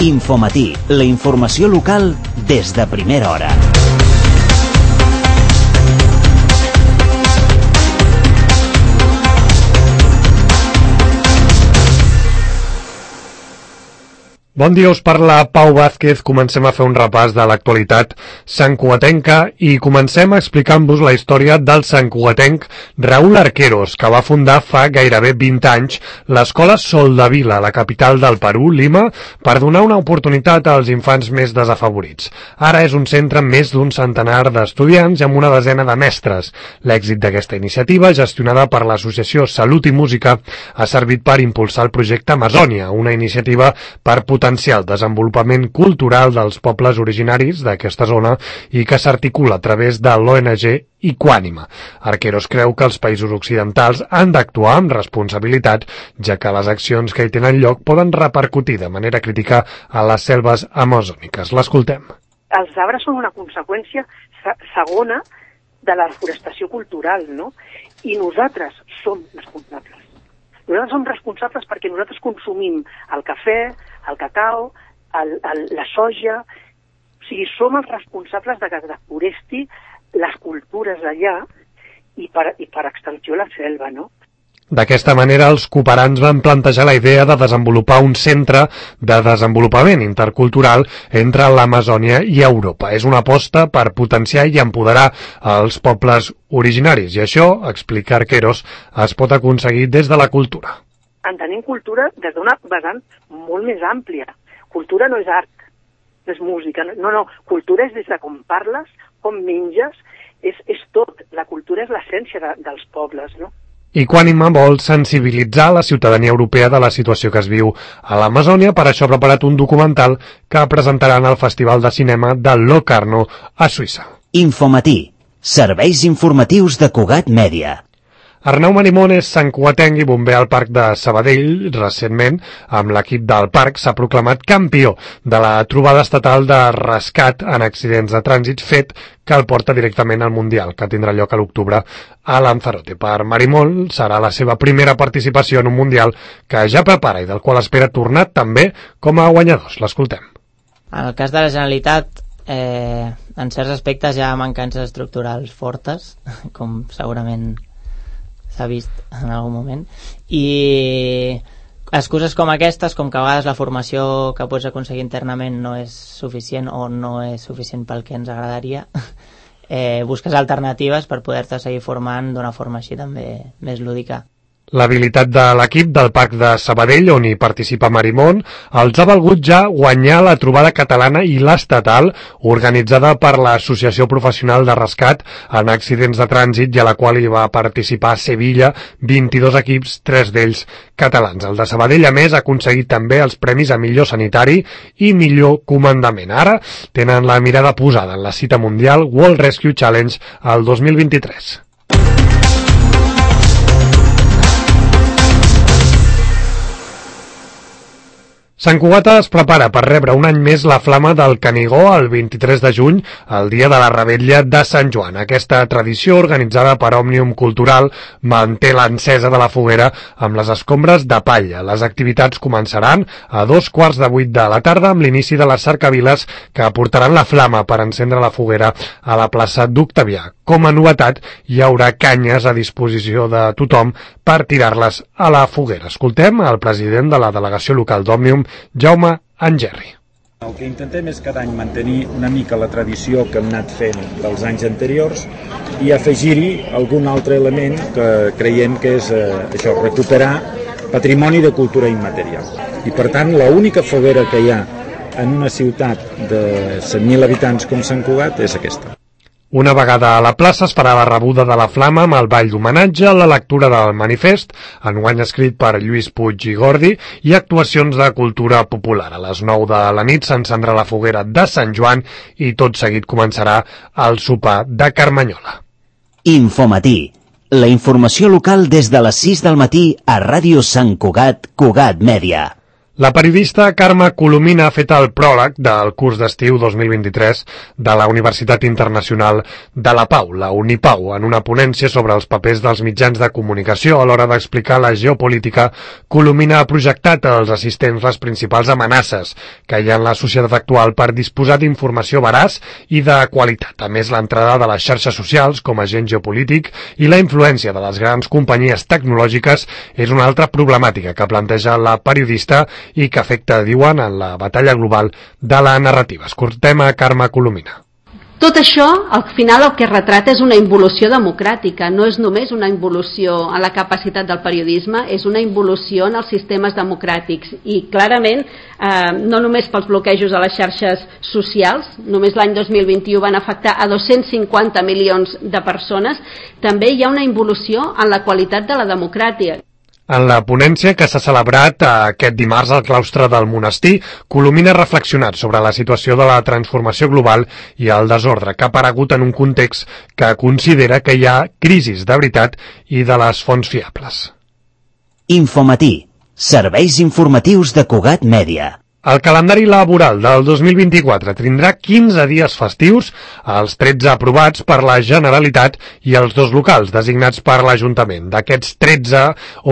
Infomatí, la informació local des de primera hora. Bon dia, us parla Pau Vázquez. Comencem a fer un repàs de l'actualitat santcugatenca i comencem explicant-vos la història del santcugatenc Raúl Arqueros, que va fundar fa gairebé 20 anys l'escola Soldevila, a la capital del Perú, Lima, per donar una oportunitat als infants més desafavorits. Ara és un centre amb més d'un centenar d'estudiants i amb una desena de mestres. L'èxit d'aquesta iniciativa, gestionada per l'associació Salut i Música, ha servit per impulsar el projecte Amazònia, una iniciativa per potenciar el desenvolupament cultural dels pobles originaris d'aquesta zona i que s'articula a través de l'ONG Equànima. Arqueros creu que els països occidentals han d'actuar amb responsabilitat, ja que les accions que hi tenen lloc poden repercutir de manera crítica a les selves amazòniques. L'escoltem. Els arbres són una conseqüència segona de la desforestació cultural, no? I nosaltres som responsables. Nosaltres som responsables perquè nosaltres consumim el cafè, el cacau, la soja. O sigui, som els responsables de que es deforesti les cultures d'allà i per extensió la selva, no? D'aquesta manera, els cooperants van plantejar la idea de desenvolupar un centre de desenvolupament intercultural entre l'Amazònia i Europa. És una aposta per potenciar i empoderar els pobles originaris, i això, explica Arqueros, es pot aconseguir des de la cultura. Entenem cultura des d'una vessant molt més àmplia. Cultura no és art, no és música, no. Cultura és des de com parles, com menges, és tot. La cultura és l'essència dels pobles, no? Equànima vol sensibilitzar la ciutadania europea de la situació que es viu a l'Amazònia. Per això ha preparat un documental que presentaran al Festival de Cinema de Locarno a Suïssa. Infomatí, serveis informatius de Cugat Mèdia. Arnau Marimón és santcugatenc i bomber al Parc de Sabadell. Recentment, amb l'equip del parc, s'ha proclamat campió de la trobada estatal de rescat en accidents de trànsit, fet que el porta directament al Mundial, que tindrà lloc a l'octubre a Lanzarote. Per Marimón serà la seva primera participació en un Mundial que ja prepara i del qual espera tornar també com a guanyadors. L'escoltem. En el cas de la Generalitat, en certs aspectes hi ha mancances estructurals fortes, com segurament s'ha vist en algun moment, i excuses com aquestes, com que a vegades la formació que pots aconseguir internament no és suficient o no és suficient pel que ens agradaria, busques alternatives per poder-te seguir formant d'una forma així també més lúdica. L'habilitat de l'equip del Parc de Sabadell, on hi participa Marimón, els ha valgut ja guanyar la trobada catalana i l'estatal organitzada per l'Associació Professional de Rescat en Accidents de Trànsit, i a la qual hi va participar a Sevilla 22 equips, 3 d'ells catalans. El de Sabadell, a més, ha aconseguit també els premis a millor sanitari i millor comandament. Ara tenen la mirada posada en la cita mundial World Rescue Challenge al 2023. Sant Cugat es prepara per rebre un any més la flama del Canigó el 23 de juny, el dia de la revetlla de Sant Joan. Aquesta tradició, organitzada per Òmnium Cultural, manté l'encesa de la foguera amb les escombres de palla. Les activitats començaran a 7:15 de la tarda amb l'inici de les cercaviles que portaran la flama per encendre la foguera a la plaça d'Octavià. Com a novetat, hi haurà canyes a disposició de tothom per tirar-les a la foguera. Escoltem el president de la delegació local d'Òmnium, Jaume Angerri. El que intentem és cada any mantenir una mica la tradició que hem anat fent dels anys anteriors i afegir-hi algun altre element que creiem que és això, recuperar patrimoni de cultura immaterial. I per tant, l'única foguera que hi ha en una ciutat de 100.000 habitants com Sant Cugat és aquesta. Una vegada a la plaça es farà la rebuda de la flama amb el ball d'homenatge, la lectura del manifest, enguany escrit per Lluís Puig i Gordi, i actuacions de cultura popular. A les 9 de la nit s'encendrà la foguera de Sant Joan i tot seguit començarà el sopar de Carmanyola. Infomatí, la informació local des de les 6 del matí a Ràdio Sant Cugat, Cugat Mèdia. La periodista Carme Colomina ha fet el pròleg del curs d'estiu 2023 de la Universitat Internacional de la Pau, la Unipau, en una ponència sobre els papers dels mitjans de comunicació. A l'hora d'explicar la geopolítica, Colomina ha projectat als assistents les principals amenaces que hi ha en la societat actual per disposar d'informació veraç i de qualitat. A més, l'entrada de les xarxes socials com a agent geopolític i la influència de les grans companyies tecnològiques és una altra problemàtica que planteja la periodista i que afecta, diuen, en la batalla global de la narrativa. Escoltem a Carme Colomina. Tot això, al final, el que retrata és una involució democràtica, no és només una involució en la capacitat del periodisme, és una involució en els sistemes democràtics i clarament, no només pels bloquejos a les xarxes socials, només l'any 2021 van afectar a 250 milions de persones, també hi ha una involució en la qualitat de la democràcia. En la ponència que s'ha celebrat aquest dimarts al claustre del monestir, Colomina ha reflexionat sobre la situació de la transformació global i el desordre que ha aparegut en un context que considera que hi ha crisis de veritat i de les fonts fiables. Infomatí, serveis informatius de Cugat Mèdia. El calendari laboral del 2024 tindrà 15 dies festius, els 13 aprovats per la Generalitat i els 2 locals designats per l'Ajuntament. D'aquests 13,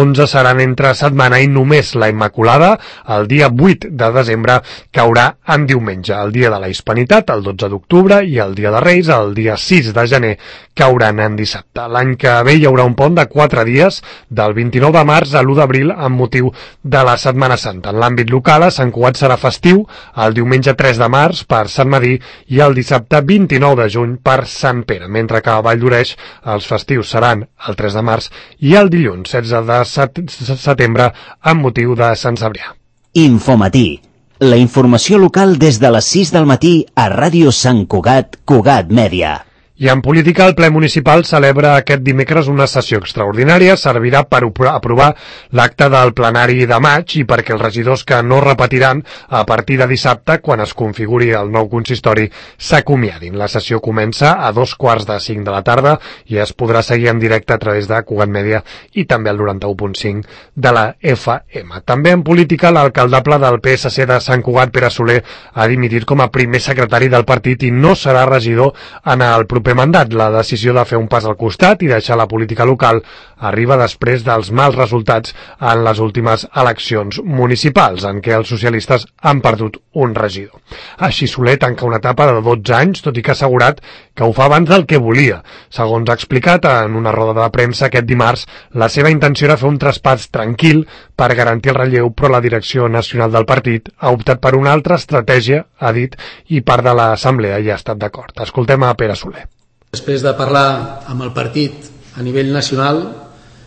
11 seran entre setmana i només la Immaculada, el dia 8 de desembre, caurà en diumenge. El dia de la Hispanitat, el 12 d'octubre, i el dia de Reis, el dia 6 de gener, cauran en dissabte. L'any que ve hi haurà un pont de 4 dies, del 29 de març a l'1 d'abril, amb motiu de la Setmana Santa. En l'àmbit local, a Sant Cugat serà festiu el diumenge 3 de març per Sant Medir i el dissabte 29 de juny per Sant Pere, mentre que a Valldoreix els festius seran el 3 de març i el dilluns 16 de setembre amb motiu de Sant Cebrià. Infomatí, la informació local des de les 6 del matí a Ràdio Sant Cugat, Cugat Mèdia. I en política, el ple municipal celebra aquest dimecres una sessió extraordinària. Servirà per aprovar l'acte del plenari de maig i perquè els regidors que no repetiran a partir de dissabte, quan es configuri el nou consistori, s'acomiadin. La sessió comença a 2:45 de la tarda i es podrà seguir en directe a través de Cugat Mèdia i també el 91.5 de la FM. També en política, l'alcaldable del PSC de Sant Cugat, Pere Soler, ha dimitit com a primer secretari del partit i no serà regidor en el proper mandat. La decisió de fer un pas al costat i deixar la política local arriba després dels mals resultats en les últimes eleccions municipals, en què els socialistes han perdut un regidor. Així, Soler tanca una etapa de 12 anys, tot i que ha assegurat que ho fa abans del que volia. Segons ha explicat en una roda de premsa aquest dimarts, la seva intenció era fer un traspàs tranquil per garantir el relleu, però la direcció nacional del partit ha optat per una altra estratègia, ha dit, i part de l'assemblea hi ha estat d'acord. Escoltem a Pere Soler. Després de parlar amb el partit a nivell nacional,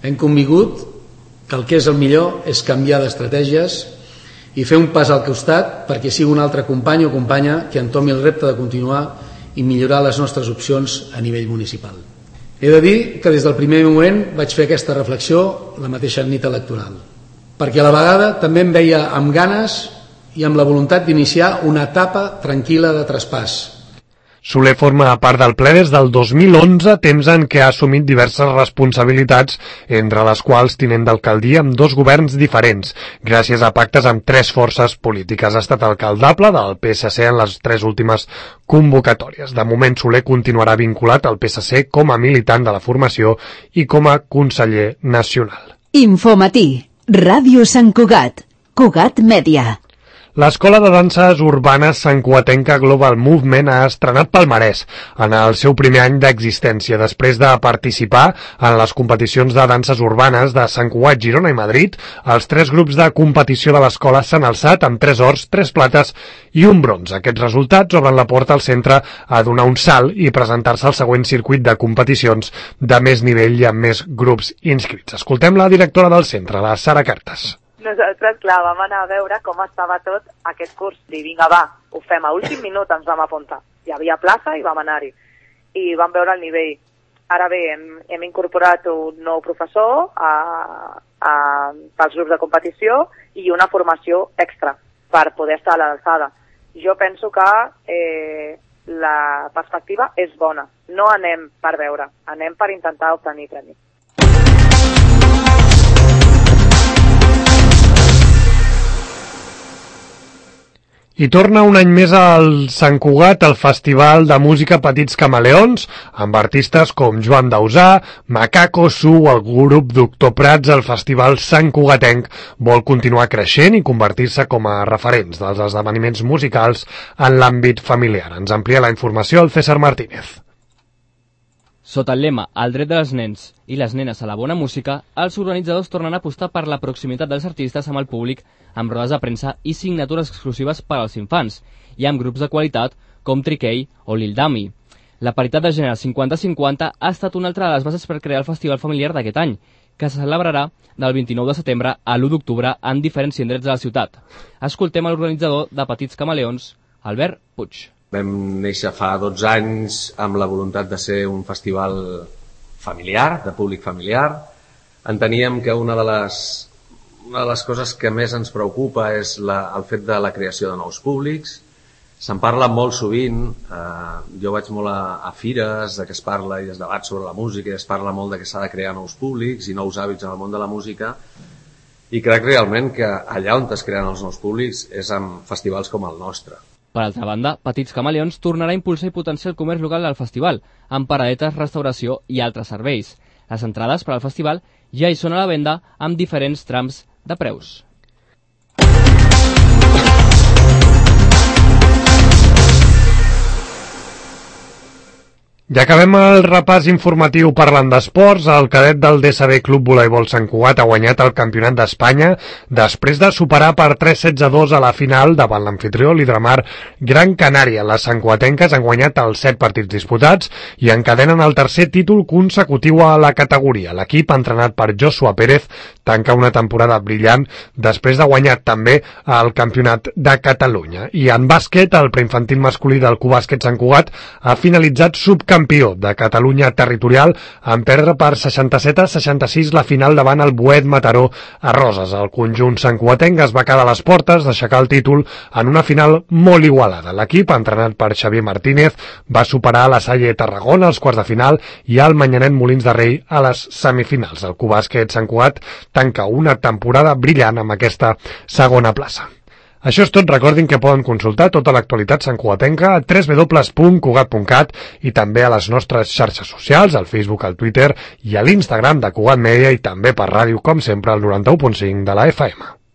hem convingut que el que és el millor és canviar d'estratègies i fer un pas al costat perquè sigui un altre company o companya que entomi el repte de continuar i millorar les nostres opcions a nivell municipal. He de dir que des del primer moment vaig fer aquesta reflexió la mateixa nit electoral, perquè a la vegada també em veia amb ganes i amb la voluntat d'iniciar una etapa tranquil·la de traspàs. Soler forma part del ple des del 2011, temps en què ha assumit diverses responsabilitats, entre les quals tinent d'alcaldia amb 2 governs diferents, gràcies a pactes amb 3 forces polítiques. Ha estat alcaldable del PSC en les 3 últimes convocatòries. De moment, Soler continuarà vinculat al PSC com a militant de la formació i com a conseller nacional. Infomatí, Ràdio Sant Cugat, Cugat Mèdia. L'Escola de Danses Urbanes Santcugatenca Global Movement ha estrenat palmarès en el seu primer any d'existència. Després de participar en les competicions de danses urbanes de Sant Cugat, Girona i Madrid, els 3 grups de competició de l'escola s'han alçat amb 3 ors, 3 plates i un bronze. Aquests resultats obren la porta al centre a donar un salt i presentar-se al següent circuit de competicions de més nivell i amb més grups inscrits. Escoltem la directora del centre, la Sara Cartes. Nosaltres, clar, vam anar a veure com estava tot aquest curs. I vinga, va, ho fem. A últim minut ens vam apuntar. Hi havia plaça i vam anar-hi. I vam veure el nivell. Ara bé, hem incorporat un nou professor pels grups de competició i una formació extra per poder estar a l'alçada. Jo penso que la perspectiva és bona. No anem per veure, anem per intentar obtenir premi. I torna un any més al Sant Cugat el Festival de Música Petits Camaleons, amb artistes com Joan Dausà, Macaco, Su o el grup Doctor Prats. El Festival Sant Cugatenc vol continuar creixent i convertir-se com a referents dels esdeveniments musicals en l'àmbit familiar. Ens amplia la informació el César Martínez. Sota el lema "El dret dels nens i les nenes a la bona música", els organitzadors tornen a apostar per la proximitat dels artistes amb el públic, amb rodes de premsa i signatures exclusives per als infants, i amb grups de qualitat com Triquei o Lil Dami. La paritat de gènere 50-50 ha estat una altra de les bases per crear el festival familiar d'aquest any, que se celebrarà del 29 de setembre a l'1 d'octubre en diferents indrets de la ciutat. Escoltem l'organitzador de Petits Camaleons, Albert Puig. Vam néixer fa 12 anys amb la voluntat de ser un festival familiar, de públic familiar. Enteníem que una de les coses que més ens preocupa és el fet de la creació de nous públics. Se'n parla molt sovint, jo vaig molt a fires de què es parla i es debat sobre la música i es parla molt de que s'ha de crear nous públics i nous hàbits en el món de la música, i crec realment que allà on es creen els nous públics és amb festivals com el nostre. Per altra banda, Petits Camaleons tornarà a impulsar i potenciar el comerç local del festival, amb paradetes, restauració i altres serveis. Les entrades per al festival ja hi són a la venda amb diferents trams de preus. Ja acabem el repàs informatiu parlant d'esports. El cadet del DSB Club Voleibol Sant Cugat ha guanyat el Campionat d'Espanya després de superar per 3-16-2 a la final davant l'amfitrió l'Hidramar Gran Canària. Les santcugatenques han guanyat els 7 partits disputats i encadenen el tercer títol consecutiu a la categoria. L'equip, entrenat per Joshua Pérez, tanca una temporada brillant després de guanyar també el Campionat de Catalunya. I en bàsquet, el preinfantil masculí del Cubàsquet Sant Cugat ha finalitzat subcampió de Catalunya territorial en perdre per 67-66 la final davant el Boet Mataró a Roses. El conjunt santcugatenc es va quedar a les portes d'aixecar el títol en una final molt igualada. L'equip, entrenat per Xavier Martínez, va superar la Salle Tarragona als quarts de final i el Manyanet Molins de Rei a les semifinals. El Cubàsquet Sant Cugat tanca una temporada brillant amb aquesta segona plaça. Això és tot. Recordin que poden consultar tota l'actualitat santcugatenca a www.cugat.cat i també a les nostres xarxes socials, al Facebook, al Twitter i a l'Instagram de Cugat Mèdia, i també per ràdio, com sempre, al 91.5 de la FM.